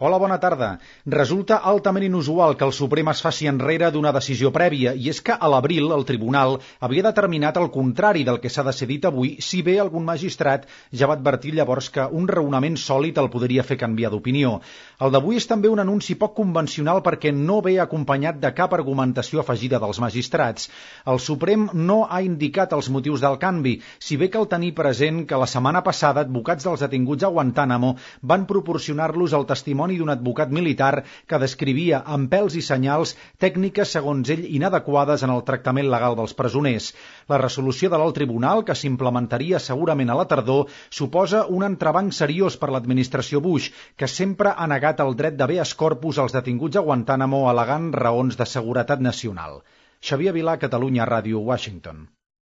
Hola, bona tarda. Resulta altament inusual que el Suprem es faci enrere d'una decisió prèvia, i és que a l'abril el Tribunal havia determinat el contrari del que s'ha decidit avui, si bé algun magistrat ja va advertir llavors que un raonament sòlid el podria fer canviar d'opinió. El d'avui és també un anunci poc convencional perquè no ve acompanyat de cap argumentació afegida dels magistrats. El Suprem no ha indicat els motius del canvi, si bé cal tenir present que la setmana passada advocats dels detinguts a Guantánamo van proporcionar-los el testimoni d'un advocat militar que descrivia amb pèls i senyals tècniques, segons ell, inadequades en el tractament legal dels presoners. La resolució de l'alt tribunal, que s'implementaria segurament a la tardor, suposa un entrebanc seriós per l'administració Bush, que sempre ha negat el dret d'habeas corpus als detinguts a Guantánamo al·legant raons de seguretat nacional. Xavier Vilà, Catalunya Ràdio, Washington.